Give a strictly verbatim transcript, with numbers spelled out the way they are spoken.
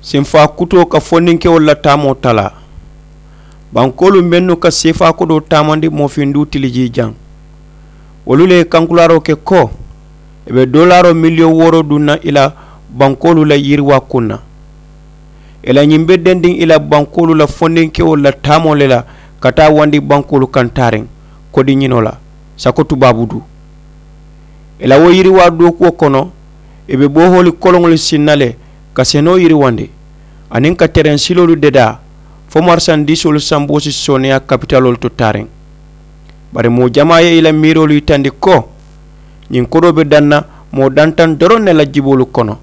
Senfaa kutoo ka fondinkewolu la taamoo talaa. Bankoolu mennu ka seefaa kodoo taamandi moofinduu tilijii jaŋ, wolu le ye kankulaaroo ke ko ì be doolaaroo miliyoŋ wooroo duŋ na ì la bankoolu la yiriwaa kuŋ na. Ì la ñiŋ be dendiŋ ì la bankoolu la fondinkewolu la taamoo le la ka taa wandi bankoolu kaŋ taariŋ kodi ñinoo la, sako tubaabu duu. Ì la wo yiriwaa dookuwo kono, ì be boohooli koloŋolu sinna le ka senoo yiriwandi aniŋ ka tereŋ siloolu dedaa fo marisandiisoolu samboo si sooneeyaa kapitaloolu to taariŋ. Bari moo jamaa ye ì la miiroolu yitandi ko ñiŋ kodoo be daŋ na moo dantaŋ doroŋ ne la jiboolu kono.